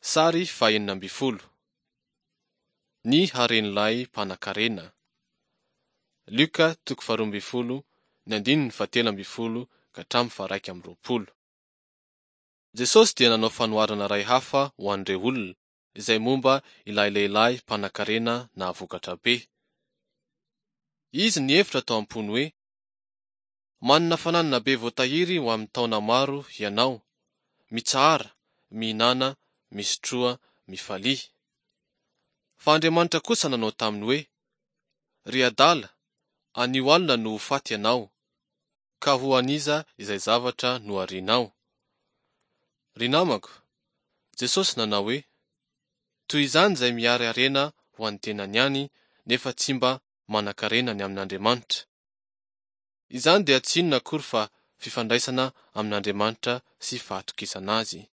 Sary faha-16. Ny haren'ilay mpanankarena. Lioka toko faharoa ambin'ny folo ny andininy fahatelo ambin'ny folo ka hatramin'ny faha-21. Jesosy dia nanao fanoharana iray hafa ho an'ireo olona, izay momba ilay lehilahy mpanankarena nahavokatra be. Izy nihevitra tao am-pony hoe, Manana fananana be voatahiry ho amin'ny taona maro hianao, mitsahara, mihinàna, misotroa, mifalia. Fa Andriamanitra kosa nanao taminy hoe, Ry adala, anio alina no ho faty ianao, ka ho an'iza izay zavatra noharianao? Ry namako, Jesosy nanao hoe, Toy izany izay mihary harena ho an'ny tenany ihany nefa tsy mba manan-karena ny amin'Andriamanitra. Izany dia tsy inona akory fa fifandraisana amin'Andriamanitra sy fahatokisana Azy.